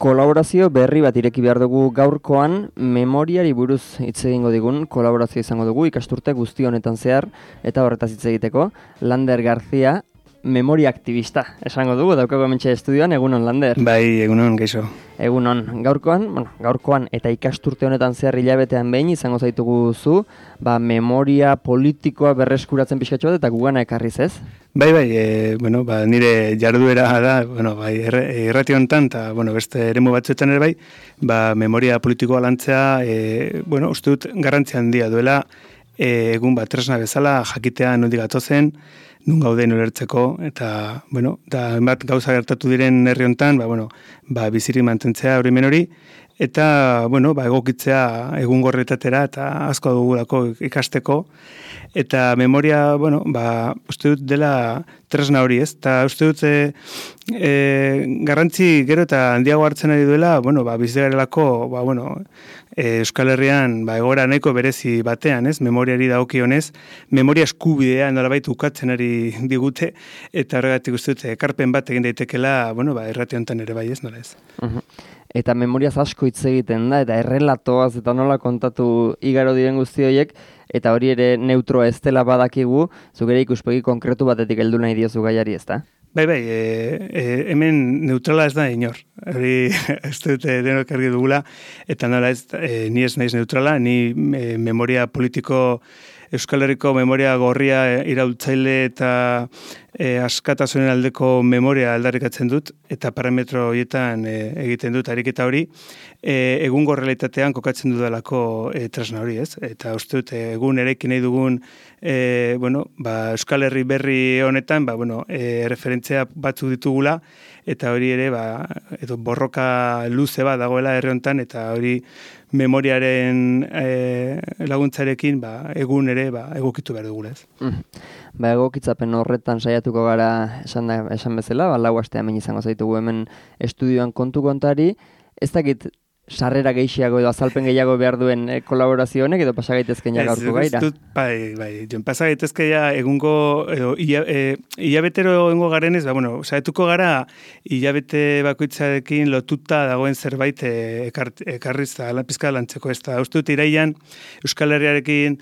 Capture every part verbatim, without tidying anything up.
Kolaborazio berri bat ireki behar dugu gaurkoan, memoriari buruz hitz egingo digun kolaborazio izango dugu ikasturte guzti honetan zehar eta horretaz hitz egiteko. Lander García, memoria aktivista, esango dugu, daukago hementxe estudioan, egunon Lander. Bai, egunon, geixo. Egunon, gaurkoan, bueno, gaurkoan eta ikasturte honetan zehar hilabetean behin izango zaitugu zu, ba, memoria politikoa berreskuratzen pixkatxo bat eta gugana ekarriz ez? Bai, bai, e, bueno, ba, nire jarduera da, bueno, bai, errati honetan, eta, bueno, beste eremu batzuetan ere bai, ba, memoria politikoa lantzea, e, bueno, uste dut garrantzia handia duela, e, egun bat tresna bezala, jakitea nondik gatozen, nun gauden ulertzeko, eta, bueno, da, bat gauza gertatu diren herri honetan, ba, bueno, ba, bizirik mantentzea hori menori, eta, bueno, ba, egokitzea egungorretatera eta asko dugulako ikasteko, eta memoria, bueno, ba, uste dut dela tresna hori, ez? Eta uste dut e, e, garrantzi gero eta handiago hartzen ari duela, bueno, ba, bizigarelako, ba, bueno, e, Euskal Herrian, ba, egoera nahiko berezi batean, ez? Memoriari dagokionez, memoria eskubidea nolabait ukatzen ari digute, eta horregatik uste dut ekarpen bat egin daitekela, bueno, ba, errati honetan ere bai, ez, nola ez? Uh-huh. Eta memoriaz asko hitz egiten da, eta errelatoaz eta nola kontatu igaro diren guzti horiek, eta hori ere neutroa ez dela badakigu, zuk ere ikuspegi konkretu batetik heldu nahi diozu gaiari, ez da? Bai, bai, e, e, hemen neutrala ez da inor. Hori ez dut denok argi dugula, eta nola ez, e, ni ez naiz neutrala, ni e, memoria politiko, Euskal Herriko memoria gorria iraultzaile eta e, askatasunen aldeko memoria aldarrikatzen dut, eta parametro horietan e, egiten dut ariketa hori, e, egungo realitatean kokatzen dudalako e, tresna hori, ez? Eta uste dut, egun erekin nahi dugun e, bueno, ba, Euskal Herri berri honetan, ba, bueno, e, referentzia batzuk ditugula, eta hori ere, ba, edo borroka luze bat dagoela herri honetan, eta hori memoriaren e, laguntzarekin ba, egun ere ba, egokitu behar dugula ez. Mm. Ba, egokitzapen horretan saiatuko gara esan, da, esan bezala, ba, lau aste hemen izango zaitugu hemen estudioan kontu kontari, ez dakit sarrera gehiago edo azalpen gehiago behar duen e, kolaborazio honek edo pasa gaitezken ja gaurko gaira? Ez dut, bai, bai, jon pasa gaitezke ja egungo, edo, ia, e, hilabetero egungo garenez, ba, bueno, saietuko gara hilabete bakoitzarekin lotuta dagoen zerbait e, ekar, ekarriz da, pizka lantzeko ez da. Uste dut iraian Euskal Herriarekin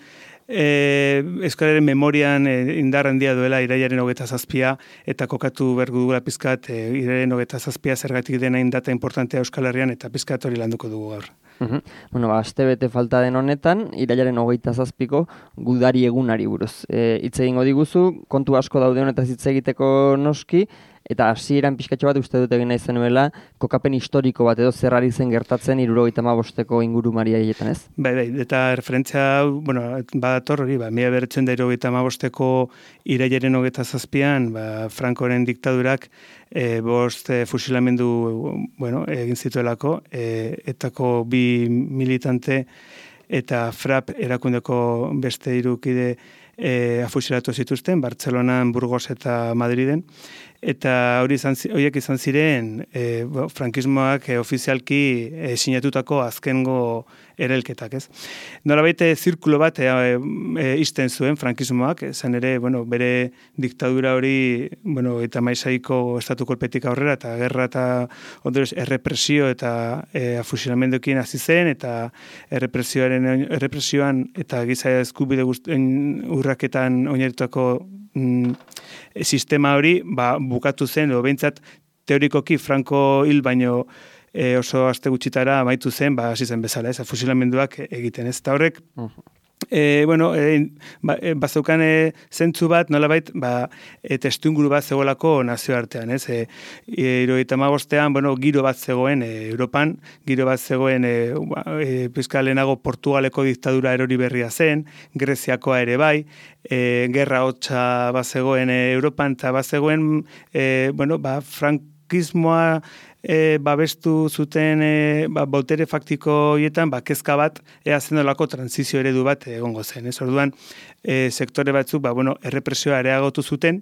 E, Euskararen memorian e, indar handia duela iraiaren hogeita zazpia eta kokatu bergu dugula pizkat e, iraiaren hogeita zazpia zergatik dena indata importantea Euskal Herrian eta pizkat hori landuko dugu gaur. Uhum. Bueno, ba, aste bete falta den honetan, irailaren hogeita zazpiko gudari egunari buruz. E, hitz egingo diguzu, kontu asko daude honetaz hitz egiteko noski, eta hasieran pixkatxo bat uste dut egin nahi zenuela, kokapen historiko bat edo zerrari zen gertatzen hirurogeita hamabosteko ingurumari haietan, ez? Bai, bai, eta referentzia hau, bueno, badator hori, ba, mila bederatziehun eta hirurogeita hamabosteko irailaren hogeita zazpian, ba, Francoren diktadurak e, bost e, fusilamendu, bueno, egin zituelako, e, etako bi militante eta Frap erakundeko beste hiru kide E, afusilatu zituzten, Bartzelonan, Burgos eta Madriden, eta hori izan, horiek izan ziren e, bo, frankismoak e, ofizialki e, sinatutako azkengo erelketak, ez? Nolabait zirkulo bat e, e, isten zuen frankismoak, esan ere, bueno, bere diktadura hori, bueno, eta maizaiko estatu kolpetik aurrera, eta gerra eta ondorioz errepresio eta e, afusilamenduekin hasi zen, eta errepresioaren errepresioan eta giza eskubide guztien urraketan oinarritutako mm, sistema hori ba, bukatu zen, edo behintzat teorikoki Franco hil baino e, oso aste gutxitara amaitu zen, ba, hasi zen bezala, ez, fusilamenduak egiten, ez, eta horrek, uh-huh. E, bueno, e, ba, e, bazeukan e, zentzu bat, nolabait, ba, e, testu inguru bat zegoelako nazioartean, ez? E, hirurogeita hamabostean, bueno, giro bat zegoen e, Europan, giro bat zegoen e, e, pizka lehenago Portugaleko diktadura erori berria zen, Greziakoa ere bai, e, gerra hotza bat zegoen e, Europan, eta bat zegoen, e, bueno, ba, frankismoa E, babestu zuten e, ba, botere faktiko horietan, ba, kezka bat ea zendolako transizio eredu bat egongo zen. Ez orduan, e, sektore batzuk, ba, bueno, errepresioa areagotu zuten,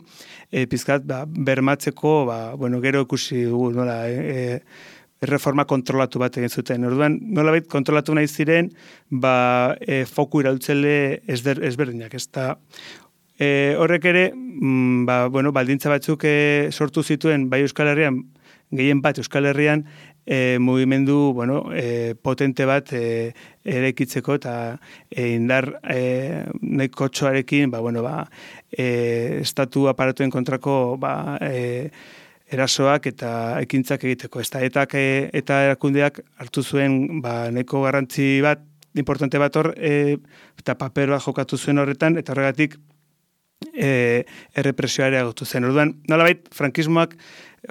e, pizkat, ba, bermatzeko, ba, bueno, gero ikusi dugu, nola, e, e, reforma kontrolatu bat egin zuten. Orduan, nolabait kontrolatu nahi ziren, ba, e, foku iraultzele ezberdinak, ez da. E, horrek ere, mm, ba, bueno, baldintza batzuk e, sortu zituen, bai Euskal Herrian, gehien bat Euskal Herrian e, mugimendu bueno, e, potente bat e, eraikitzeko eta e, indar e, nahiko txoarekin ba, bueno, ba, e, estatu aparatuen kontrako ba, e, erasoak eta ekintzak egiteko. Ez da, eta, eta erakundeak hartu zuen ba, nahiko garrantzi bat, importante bat hor, e, eta paper bat jokatu zuen horretan, eta horregatik e, errepresioa ere agotu zen. Orduan, nolabait, frankismoak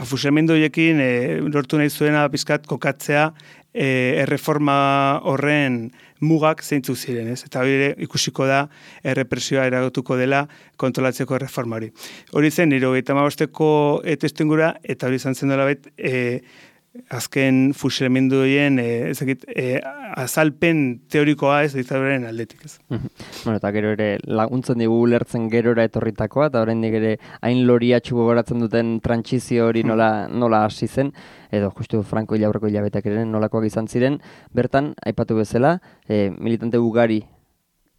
fusilamendu horiekin e, lortu nahi zuena bizkat kokatzea e, erreforma horren mugak zeintzuk ziren, ez? Eta hori ikusiko da errepresioa eragotuko dela kontrolatzeko erreforma hori. Hori zen, hirurogeita hamabosteko testuingurua, eta hori izan zen nolabait, e, azken fusilamendu horien e, ezakit, e, azalpen teorikoa ez diktaduraren aldetik. Ez. Bueno, eta gero ere laguntzen digu ulertzen gerora etorritakoa, eta oraindik ere hain loriatxu gogoratzen duten trantsizio hori nola, nola hasi zen, edo justu Franco hilaurreko hilabeteak ere nolakoak izan ziren, bertan, aipatu bezala, e, militante ugari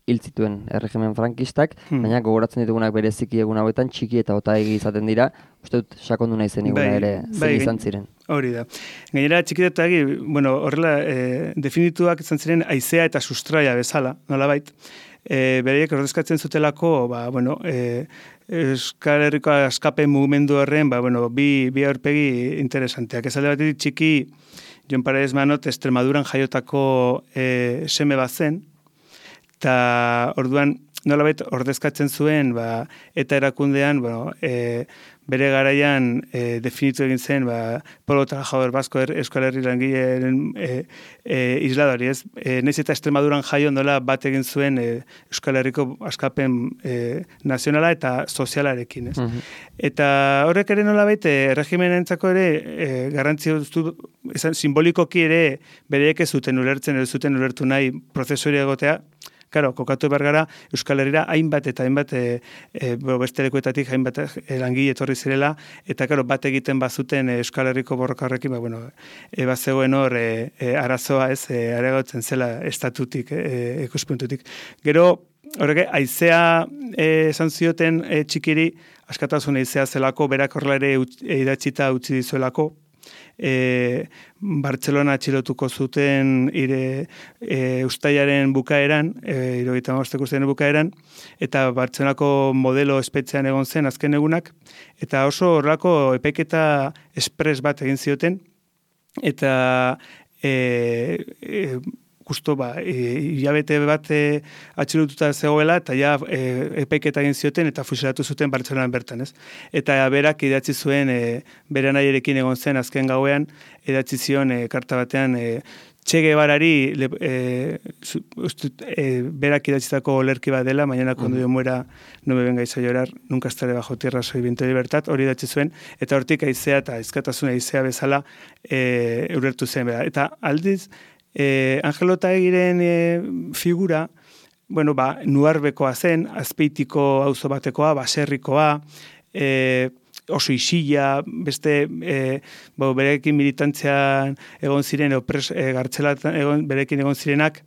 hil zituen erregimen frankistak, hmm. baina gogoratzen ditugunak bereziki egun hauetan txiki eta otaegi izaten dira, uste dut sakondu nahi zen iguna ere zen izan ziren. Hori da. Gainera txiki eta otaegi, bueno, horrela e, definituak izan ziren haizea eta sustraia bezala, nolabait. E, bereiek ordezkatzen zutelako, ba, bueno, e, Euskal Herriko askapen mugimendu horren, ba, bueno, bi, bi aurpegi interesanteak. Ez alde batetik txiki, Jon Paredes Manot, Extremaduran jaiotako e, seme bat zen, eta orduan nolabait ordezkatzen zuen ba, eta erakundean bueno, e, bere garaian e, definitu egin zen ba, Polo Trabajador Basko er, Euskal Herri langileen e, e, isladari, ez? E, naiz eta Extremaduran jaio nola bat egin zuen e, Euskal Herriko askapen e, nazionala eta sozialarekin, ez? Uh-huh. Eta horrek ere nolabait e, erregimenentzako ere e, garrantzia duztu, esan, simbolikoki ere bereek ez zuten ulertzen, ez zuten ulertu nahi prozesu hori egotea. Claro, kokatu behar gara Euskal Herrira hainbat eta hainbat e, e, beste lekuetatik hainbat e, langile etorri zirela, eta claro, bat egiten bazuten e, Euskal Herriko borroka horrekin, ba, bueno, e, bazegoen hor e, e, arazoa ez, e, areagotzen zela estatutik, e, ikuspuntutik. Gero, horrek, haizea e, esan zioten e, txikiri, askatasun haizea zelako, berak horrela ere idatzita utzi dizuelako, E, Bartzelona atxilotuko zuten ire e, ustailaren bukaeran, e, hirurogeita hamabosteko ustailaren bukaeran, eta Bartzelonako modelo espetxean egon zen azken egunak, eta oso horrelako epaiketa espres bat egin zioten, eta e, e, justo ba, hilabete bat e, atxilotuta zegoela, eta ja e, epaiketa egin zioten, eta fusilatu zuten Bartzelonan bertan, ez? Eta berak idatzi zuen, e, bere nahiarekin egon zen azken gauean, idatzi zion e, karta batean, e, Che Guevarari e, e, berak idatzitako olerki bat dela, mañana cuando yo muera no me vengáis a llorar, nunca estaré bajo tierra, soy viento de libertad, hori idatzi zuen, eta hortik haizea eta ezkatasuna haizea bezala e, urertu zen, bera. Eta aldiz, Eh, Angelo Otaegiren eh, figura, bueno, ba, nuarbekoa zen, azpeitiko auzo batekoa, baserrikoa, eh, oso isila, beste eh, bo, berekin militantzean egon ziren, opres, eh, gartzelatan egon, berekin egon zirenak,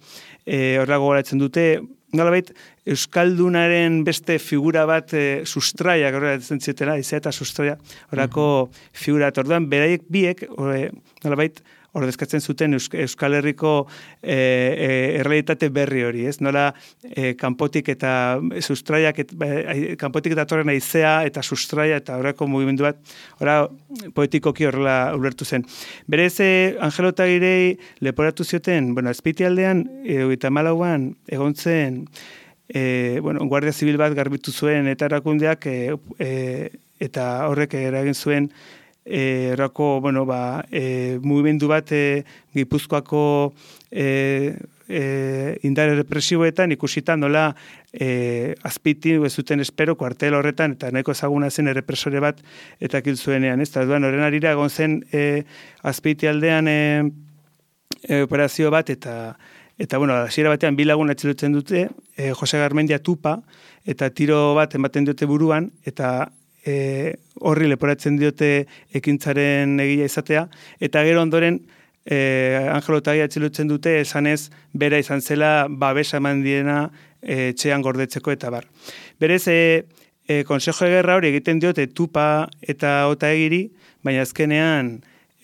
eh, horra gogoratzen dute, nolabait, Euskaldunaren beste figura bat e, sustraia, horrela ditzen zietela, izea eta sustraia, horako mm-hmm. figura, eta orduan, beraiek biek, ore, nolabait, ordezkatzen zuten Euskal Herriko e, e, errealitate berri hori, ez? Nola e, kanpotik eta sustraiak, et, e, kanpotik eta torren aizea eta sustraia eta horreko mugimendu bat, horra poetikoki horrela ulertu zen. Berez, Angelo Otaegirei leporatu zioten, bueno, Azpeitialdean, eta malauan, egon zen, e, bueno, Guardia Zibil bat garbitu zuen eta erakundeak, e, e, eta horrek eragin zuen, erako, bueno, ba, e, mugimendu bat e, Gipuzkoako e, e, indar represiboetan ikusita nola e, Azpeiti ez zuten espero kuartel horretan, eta nahiko ezaguna zen errepresore bat eta kil zuenean, ez? Eta duan, horren arira egon zen e, Azpeiti aldean e, e, operazio bat, eta Eta, bueno, hasiera batean bi lagun atxilotzen dute, e, Jose Garmendia Tupa, eta tiro bat ematen dute buruan, eta E, horri leporatzen diote ekintzaren egila izatea, eta gero ondoren e, Angelo Otaegi atxilotzen dute esanez bera izan zela babesa eman diena e, txean gordetzeko eta bar. Berez, e, e, Consejo de Guerra hori egiten diote Tupa eta Otaegiri, baina azkenean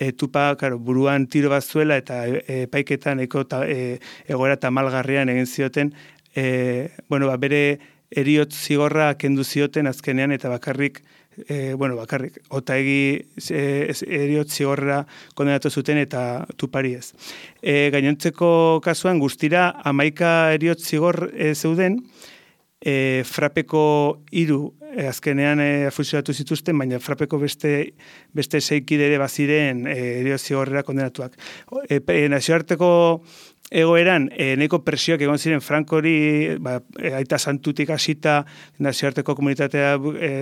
e, tupa, karo, buruan tiro bat zuela eta epaiketan e, eko ta, e, egoera tamalgarrian egin zioten, e, bueno, ba, bere eriotz zigorra kendu zioten azkenean eta bakarrik E, bueno, bakarrik, otaegi e, eriotz zigorra kondenatu zuten eta tupari ez. E, gainontzeko kasuan guztira hamaika eriotz zigor e, zeuden, e, frapeko hiru e, azkenean e, afusilatu zituzten, baina frapeko beste, beste seikide ere baziren e, eriotz zigorrera kondenatuak. E, e, nazioarteko egoeran, e, neko presioak egon ziren Frankori, ba, e, aita santutik hasita nazioarteko komunitatea e,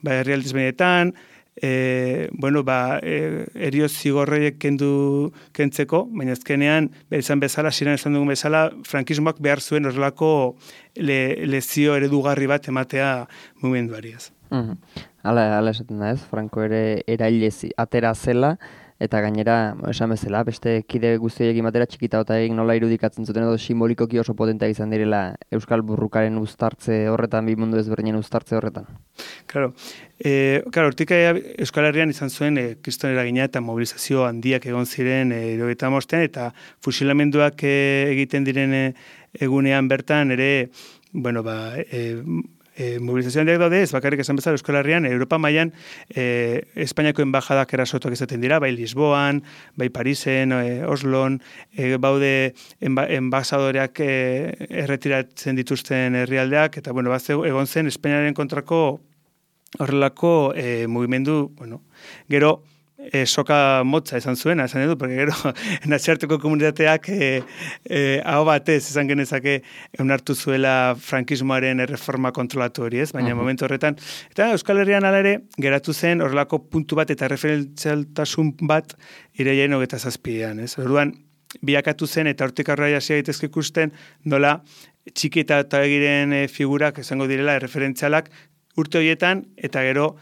ba, herrialdiz benetan, e, bueno, ba, e, erioz zigorroiek kendu kentzeko, baina azkenean, izan bezala, ziren esan dugun bezala, frankismoak behar zuen horrelako le, lezio eredugarri bat ematea mugimenduari ez. Mm -hmm. Hala, hala esaten da ez, Franco ere erailez atera zela, eta gainera, esan bezala, beste kide guztiekin batera txikita eta egin nola irudikatzen zuten edo simbolikoki oso potentea izan direla Euskal Burrukaren uztartze horretan, bi mundu ezberdinen uztartze horretan. Claro, eh, claro, hortik Euskal Herrian izan zuen eh, kriston eragina eta mobilizazio handiak egon ziren eh, hirurogeita hamabostean eta fusilamenduak eh, egiten diren eh, egunean bertan ere, bueno, ba, eh, E, mobilizazioan diak daude, ez bakarrik esan bezala Euskal Herrian, Europa mailan e, Espainiako enbajadak erasotuak izaten dira, bai Lisboan, bai Parisen, e, Oslon, e, baude enba, enbasadoreak e, erretiratzen dituzten herrialdeak, eta bueno, bat egon zen Espainiaren kontrako horrelako e, mugimendu, bueno, gero, E, soka motza esan zuena, esan edu, porque gero nazioarteko komunitateak e, e, hau batez esan genezake eunartu zuela frankismoaren erreforma kontrolatu hori ez, baina uh-huh. momentu horretan. Eta Euskal Herrian ala ere geratu zen horrelako puntu bat eta referentzialtasun bat irailaren hogeita zazpian. Ez? Orduan, biakatu zen eta hortik aurrera hasi gaitezke ikusten nola txiki eta egiren e, figurak esango direla erreferentzialak urte horietan eta gero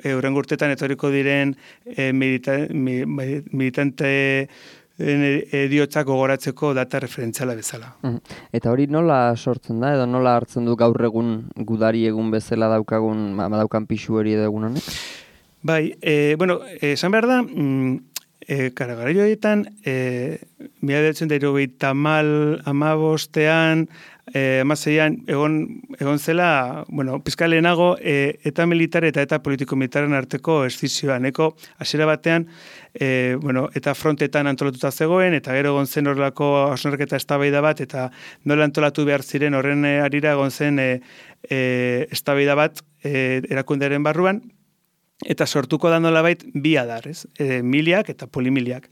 euren urtetan etorriko diren e, milita, mi, militante ediotzak gogoratzeko data referentziala bezala. Eta hori nola sortzen da, edo nola hartzen du gaur egun gudari egun bezala daukagun, daukan pixu hori edo egun honek? Bai, e, bueno, esan behar da, mm, e, karagara joietan, e, mila bederatziehun eta hirurogeita hamabostean, Eh, Amaseian, egon, egon zela, bueno, pizka lehenago, e, eta militar eta eta politiko-militaren arteko eszizioa. Neko, hasiera batean, e, bueno, eta frontetan antolatuta zegoen, eta gero egon zen horrelako hausnarketa eztabaida bat, eta nola antolatu behar ziren horren e, arira egon zen e, e, eztabaida bat e, erakundearen barruan, eta sortuko da nolabait bi adar, ez? E, miliak eta polimiliak.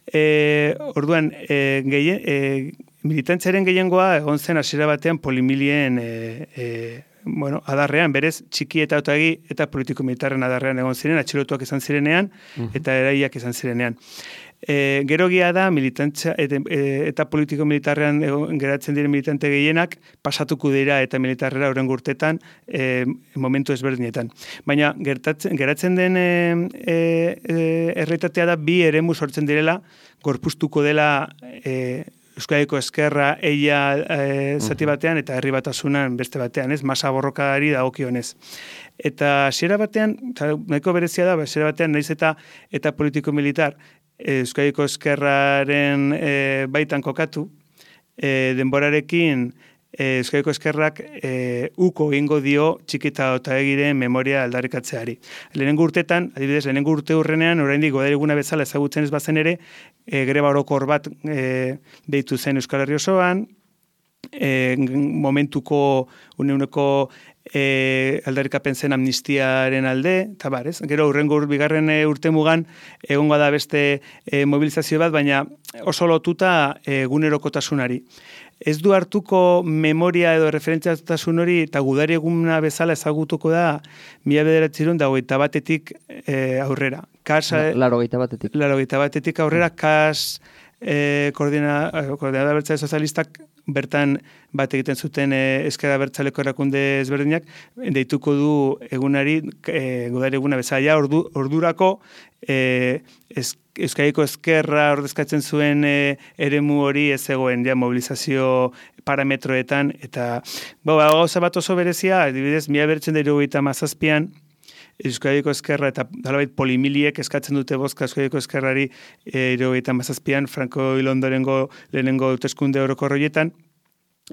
E, orduan, e, gehien, e, militantziaren gehiengoa egon zen hasiera batean polimilien e, e, bueno, adarrean, berez txiki eta otagi eta politiko-militarren adarrean egon ziren, atxilotuak izan zirenean uh-huh. eta eraiak izan zirenean. E, gero gia da militantzia eta, e, eta politiko-militarrean geratzen diren militante gehienak pasatuko dira eta militarrera horren gurtetan e, momentu ezberdinetan. Baina gertatzen, geratzen den e, e, erreitatea da bi eremu sortzen direla, gorpuztuko dela e, Euskadiko ezkerra eia e, zati batean eta herri batasunan beste batean, ez? Masa borrokari dagokionez. Eta hasiera batean, nahiko berezia da, hasiera batean naiz eta eta politiko-militar Euskadiko ezkerraren e, baitan kokatu, e, denborarekin e, Euskadiko ezkerrak e, uko egingo dio txikita otaegiren memoria aldarrikatzeari. Lehenengo urtetan, adibidez, lehenengo urte hurrenean, oraindik godari eguna bezala ezagutzen ez bazen ere, e, greba orokor bat e, deitu zen Euskal Herri osoan, e, momentuko uneuneko e, aldarrikapen zen amnistiaren alde, eta bar, ez? Gero, urrengo bigarren e, urte mugan, egongo da beste e, mobilizazio bat, baina oso lotuta e, gunerokotasunari. Ez du hartuko memoria edo referentziatasun hori eta gudari eguna bezala ezagutuko da mila bederatziehun eta hogeita batetik e, aurrera. Kas, Laro hogeita batetik. Laro hogeita batetik aurrera, kas e, koordina, koordinadora abertzale sozialistak bertan bat egiten zuten e, ezker abertzaleko erakunde ezberdinak, deituko du egunari, e, gudari eguna bezala, ordu, ordurako e, ez, Euskadiko ezkerra ordezkatzen zuen e, eremu hori ez zegoen ja, mobilizazio parametroetan, eta gauza bat oso berezia, adibidez, mila bederatziehun eta hirurogeita hamazazpian, Euskadiko Ezkerra eta nolabait polimiliek eskatzen dute bozka Euskadiko Ezkerrari hirurogeita hamazazpian Franco hil ondorengo lehenengo hauteskunde orokorroietan.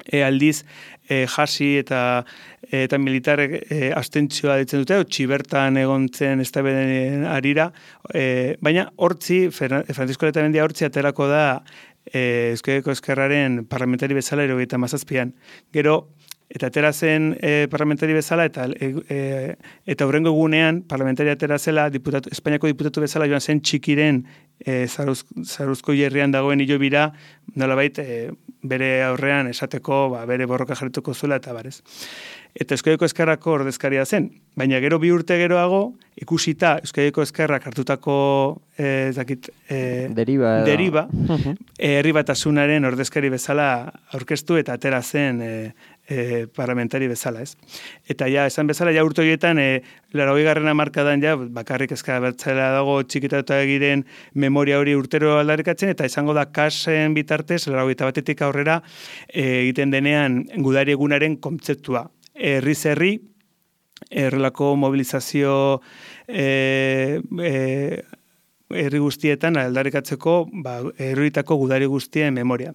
E, aldiz, e, jasi eta eta militarrek e, abstentzioa ditzen dute, txibertan egon zen eztabaiden arira, e, baina hortzi, Francisco Letamendia hortzi aterako da e, Euskadiko Ezkerraren parlamentari bezala hirurogeita hamazazpian. Gero, eta atera zen e, parlamentari bezala, eta e, eta hurrengo egunean parlamentari atera zela, diputatu, Espainiako diputatu bezala joan zen txikiren e, zaruz, zaruzko jerrian dagoen hilobira, nolabait e, bere aurrean esateko, ba, bere borroka jarrituko zuela eta barez. Eta Euskadiko Ezkerrako ordezkaria zen. Baina gero bi urte geroago, ikusita Euskadiko Ezkerrak hartutako e, zakit, e, deriba, deriba e, herri batasunaren ordezkari bezala aurkeztu eta atera zen e, e, parlamentari bezala, ez? Eta ja, esan bezala, ja urte horietan, e, laurogei garren hamarkadan ja, bakarrik ezka bertzela dago txikitatu egiren memoria hori urtero aldarrikatzen, eta izango da kasen bitartez, laurogeita batetik aurrera, e, egiten denean gudari egunaren kontzeptua. Herriz herri, errelako mobilizazio e, e, herri guztietan aldarrikatzeko ba, herrietako gudari guztien memoria.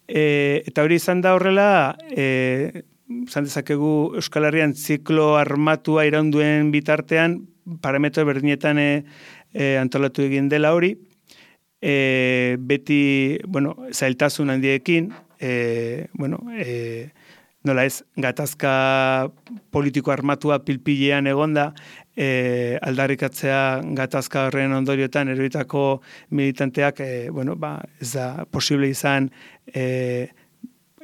E, eta hori izan da horrela, e, izan dezakegu Euskal Herrian ziklo armatua iraunduen bitartean, parametro berdinetan e, e, antolatu egin dela hori, e, beti, bueno, zailtasun handiekin, e, bueno, e, nola ez, gatazka politiko armatua pilpilean egonda, e, aldarrikatzea gatazka horren ondoriotan eroitako militanteak, e, bueno, ba, ez da posible izan e,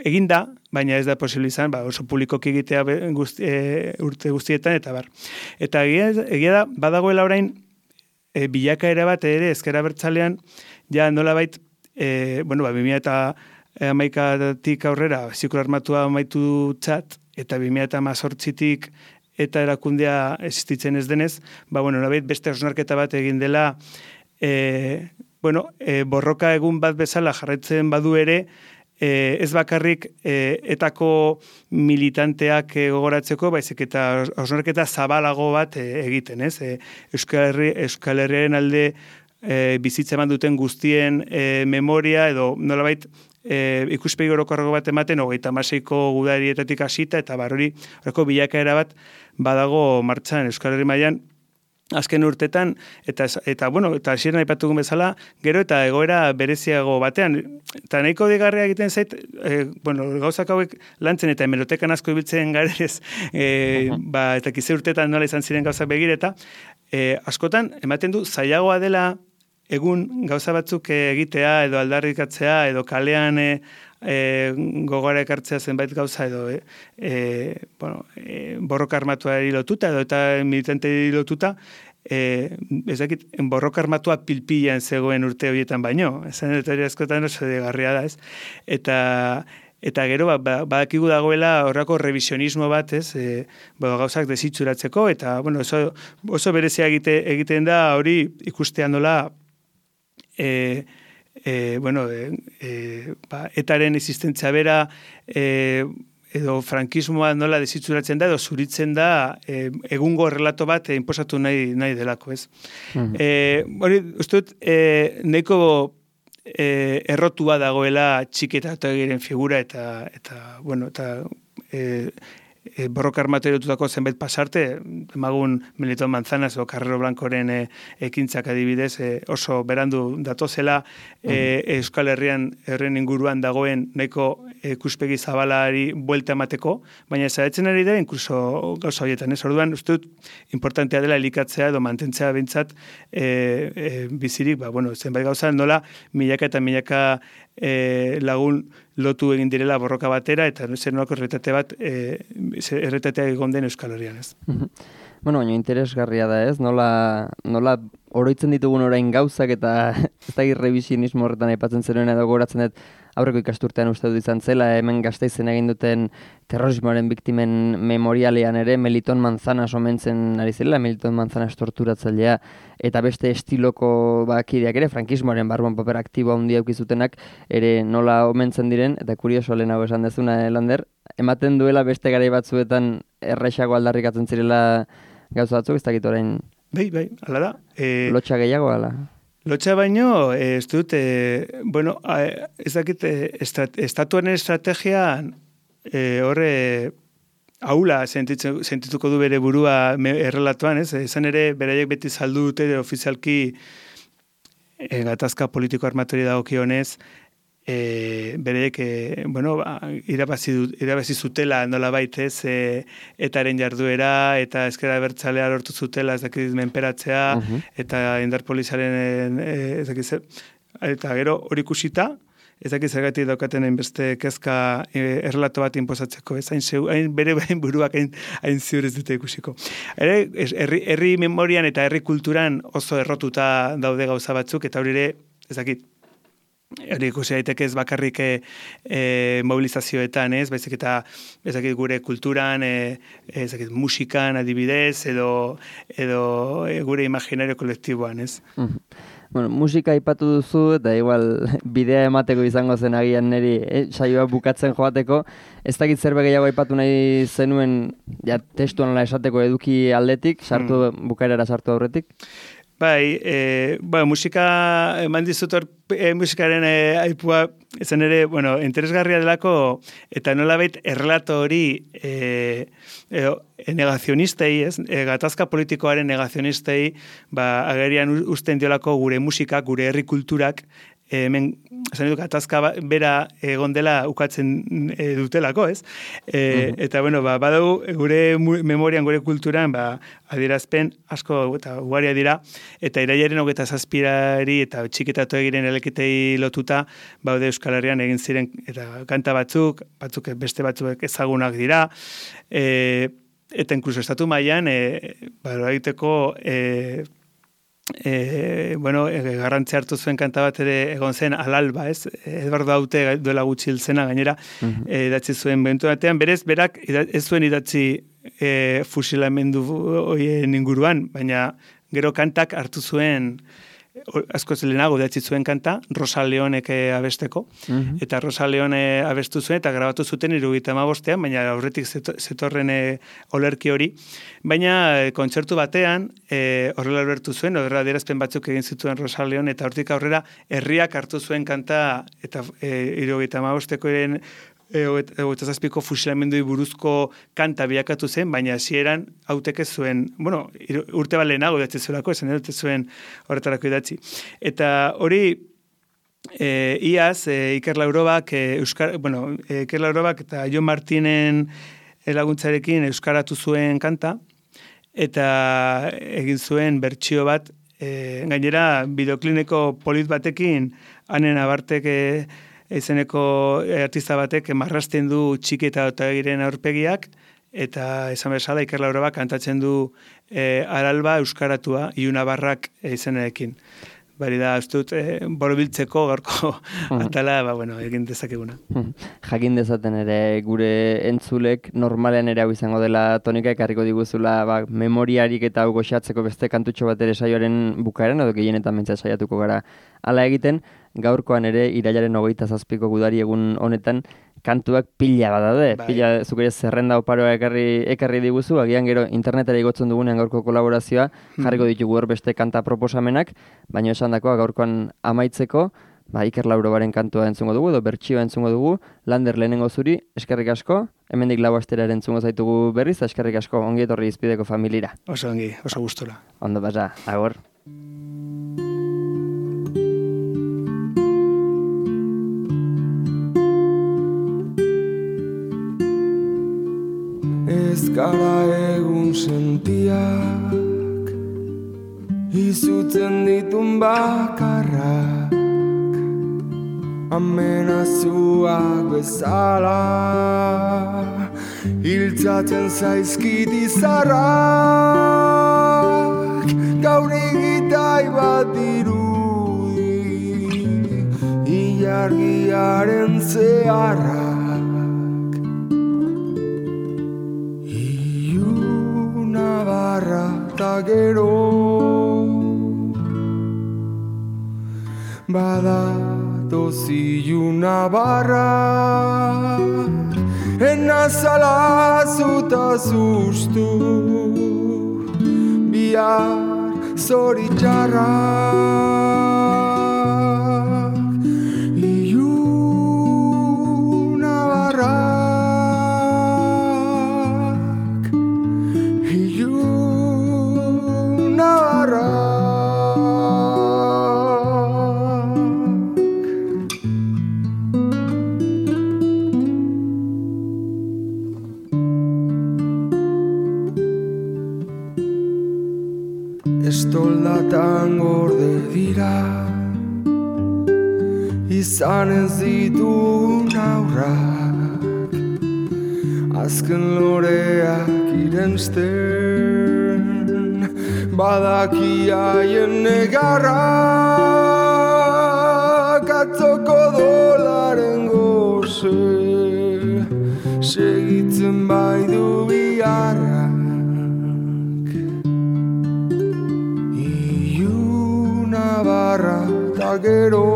eginda, baina ez da posible izan, ba, oso publikoki egitea guzti, e, urte guztietan, eta bar. Eta egia, egia da, badagoela orain, e, bilakaera bat ere, ezker abertzalean, ja nolabait, e, bueno, ba, bi mila eta hamaikatik aurrera ziklo armatua amaitu txat, eta bi mila eta hamazortzitik eta erakundea existitzen ez denez, ba, bueno, nolabait beste hausnarketa bat egin dela, e, bueno, e, borroka egun bat bezala jarraitzen badu ere, e, ez bakarrik e, etako militanteak e, gogoratzeko, baizik eta hausnarketa zabalago bat e, egiten, ez? E, Euskal Herri, Euskal Herriaren alde e, bizitza eman duten guztien e, memoria, edo nolabait E, ikuspegi orokorrago bat ematen, hogeita hamaseiko gudarietatik hasita, eta barori, horreko bilakaera bat badago martxan Euskal Herri mailan azken urtetan, eta, eta bueno, eta hasieran aipatugun bezala, gero eta egoera bereziago batean, eta nahiko digarria egiten zait, e, bueno, gauzak hauek lantzen eta hemerotekan asko ibiltzen garez, e, ba, eta kize urtetan nola izan ziren gauzak begireta, e, askotan, ematen du, zailagoa dela, egun gauza batzuk egitea edo aldarrikatzea edo kalean e, e, gogora ekartzea zenbait gauza edo e, e, bueno, e, borroka armatuari lotuta edo eta militante lotuta, e, ez dakit, borroka armatua pilpilean zegoen urte horietan baino, esan eta askotan oso degarria da, ez? Eta Eta gero, ba, badakigu dagoela horrako revisionismo bat, ez, e, ba, gauzak desitxuratzeko, eta bueno, oso, oso berezia egite, egiten da hori ikustean nola, E, e, bueno, e, e, ba, etaren existentzia bera e, edo frankismoa nola desitzuratzen da edo zuritzen da e, egungo relato bat e, inposatu nahi, nahi delako, ez? Mm-hmm. E, hori, uste dut, e, nahiko e, errotua dagoela txiketa eta egiren figura eta, eta bueno, eta e, E, borroka armatu erotutako zenbait pasarte, emagun Melitón Manzanas o Carrero Blancoren e, ekintzak adibidez e, oso berandu datozela e, Euskal Herrian herren inguruan dagoen nahiko ikuspegi zabalari buelta emateko, baina zaitzen ari da inkluso gauza horietan, ez? Orduan, uste dut, importantea dela elikatzea edo mantentzea bintzat e, e, bizirik, ba, bueno, zenbait gauza nola milaka eta milaka e, lagun lotu egin direla borroka batera, eta zer nolako erretate bat, e, erretatea egon den Euskal Herrian, ez. Bueno, baina interesgarria da, ez? Nola, nola oroitzen ditugun orain gauzak eta ez da irrevisionismo horretan aipatzen zenuen edo goratzen dut aurreko ikasturtean uste dut izan zela, hemen Gasteizen egin duten terrorismoaren biktimen memorialean ere Melitón Manzanas omentzen ari zela, Melitón Manzanas torturatzailea eta beste estiloko bakideak ere, frankismoaren barruan paper aktibo handia eukizutenak ere nola omentzen diren, eta kurioso lehenago esan dezuna, Lander, ematen duela beste garai batzuetan erraixago aldarrikatzen zirela gauza batzuk, ez dakit orain... Bai, bai, ala da. E, lotxa gehiago, ala? Lotxa baino, ez dut, e, bueno, ez dakit, estat, estatuaren estrategian e, horre haula sentituko du bere burua errelatuan, ez? Ezan ere, beraiek beti saldu dute ofizialki e, gatazka politiko armatori dagokionez, E, bereek, e, bueno, ba, irabazi, irabazi zutela nola baitez, e, etaren jarduera, eta ezkera bertzalea lortu zutela, ez dakit menperatzea, uh-huh. eta indar polizaren, e, ez dakit zer, eta gero hori ikusita, ez dakit zergatik daukaten hainbeste kezka e, errelato bat inpozatzeko, ez hain, zeu, hain bere hain buruak hain, hain ziur ez dute ikusiko. Ere, herri, herri memorian eta herri kulturan oso errotuta daude gauza batzuk, eta hori ere, ez dakit, hori ikusi daiteke ez bakarrik e, e, mobilizazioetan, ez, baizik eta ezakit gure kulturan, e, ezakit musikan adibidez, edo, edo e, gure imaginario kolektiboan, ez. Mm. Bueno, musika aipatu duzu, eta igual bidea emateko izango zen agian niri, eh, saioa bukatzen joateko, ez dakit zerbe gehiago aipatu nahi zenuen, ja, testuan esateko eduki aldetik, sartu, mm. bukaerara sartu aurretik? Bai, e, ba, musika, eman dizut hor, e, musikaren e, aipua, ezen ere, bueno, interesgarria delako, eta nolabait errelato hori e, e, negazionistei, ez? E, gatazka politikoaren negazionistei, ba, agerian usten diolako gure musika, gure herri kulturak, e, hemen, esan dut, gatazka bera egon dela ukatzen e, dutelako, ez? E, uh-huh. Eta, bueno, ba, badau gure memorian, gure kulturan, ba, adierazpen asko eta ugaria dira, eta irailaren hogeita zazpirari eta txiketatu egiren elekitei lotuta, baude Euskal Herrian egin ziren, eta kanta batzuk, batzuk beste batzuk ezagunak dira, e, eta inkluso estatu mailan, e, ba, egiteko, e, E, bueno, e, garrantzi hartu zuen kanta bat ere egon zen Alalba, ez? Eduardo Haute duela gutxi hiltzena gainera, uh-huh. e, idatzi zuen bentu batean, berez, berak ez zuen idatzi e, fusilamendu hoien inguruan, baina gero kantak hartu zuen, asko zelenago idatzi zuen kanta, Rosa Leonek abesteko, uh-huh. eta Rosa Leone abestu zuen, eta grabatu zuten hirurogeita hamabostean, baina aurretik zetorren e, olerki hori, baina e, kontzertu batean, e, horrela albertu zuen, horrela adierazpen batzuk egin zituen Rosa Leone, eta hortik aurrera herriak hartu zuen kanta, eta hirurogeita hamabosteko eren hogeita zazpiko fusilamendui buruzko kanta bilakatu zen, baina hasieran Hautek ez zuen, bueno, urte bat lehenago idatzi zuelako, esan dut ez zuen horretarako idatzi. Eta hori, e, iaz, e, Iker Laurobak, e, Euskar, bueno, e, Iker Laurobak eta Jon Martinen laguntzarekin euskaratu zuen kanta, eta egin zuen bertsio bat, e, gainera, bideoklineko polit batekin, hanen abartek e, izeneko artista batek marrasten du Txiki eta Otagiren aurpegiak, eta esan bezala Iker Laurobak kantatzen du e, Alalba euskaratua, Iuna Barrak izenarekin. Bari da, ez dut, e, borobiltzeko gaurko atala, ba, bueno, egin dezakeguna. Jakin dezaten ere gure entzulek normalean ere hau izango dela tonika ekarriko diguzula ba, memoriarik eta hau goxatzeko beste kantutxo bat ere saioaren bukaeran, edo gehienetan mentza saiatuko gara hala egiten, gaurkoan ere irailaren hogeita zazpiko gudari egun honetan kantuak pila bat daude, bai. Pila zuk ere zerrenda oparoa ekarri, ekarri diguzu, agian gero internetera igotzen dugunean gaurko kolaborazioa, jarriko ditugu hor beste kanta proposamenak, baina esan dakoa gaurkoan amaitzeko, ba, Iker Laurobaren kantua entzungo dugu, edo bertsioa entzungo dugu, Lander lehenengo zuri, eskerrik asko, hemendik lau astera entzungo zaitugu berriz, eskerrik asko, ongi etorri izpideko familira. Oso ongi, oso gustora. Ondo pasa, agor. Ez gara egun sentiak, izutzen ditun bakarrak, amenazuak bezala, hiltzatzen zaizkit izarrak, gaur egitai bat dirudi, ilargiaren zeharrak. Eta gero badatoz iluna barra enazala zuta zuztu bihar zoritxarrak ilunabarrak ilunabarrak estoldatan gorde dira izan ez ditun aurrak azken loreak irensten badaki haien negarrak atzoko dolaren goze segitzen bai du biharra barra ta gero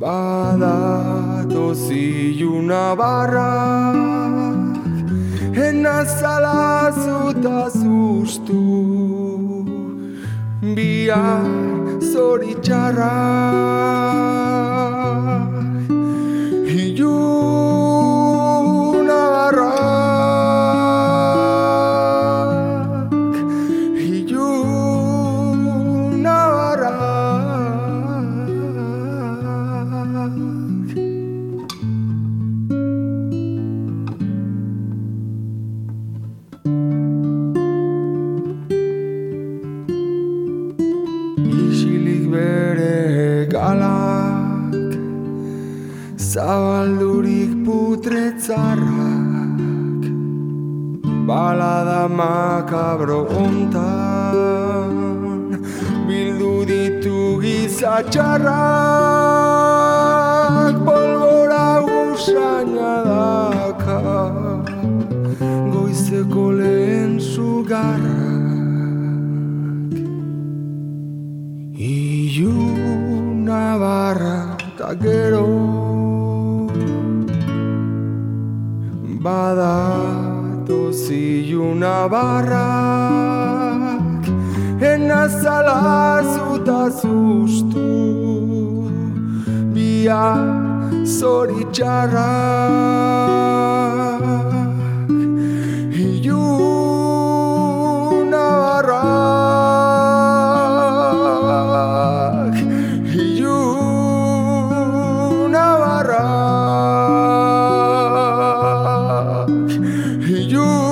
badatoz iluna barra enazala zuta zuztu bihar zoritxarra iluna barra zabaldurik putretzarrak balada makabro ontan bildu ditu gizatxarrak polbora usaina daka goizeko lehen sugarrak iluna barra ta gero badatoz iluna barrak enazala zuta zuztu bihar zoritxarrak iluna barrak iluna barrak you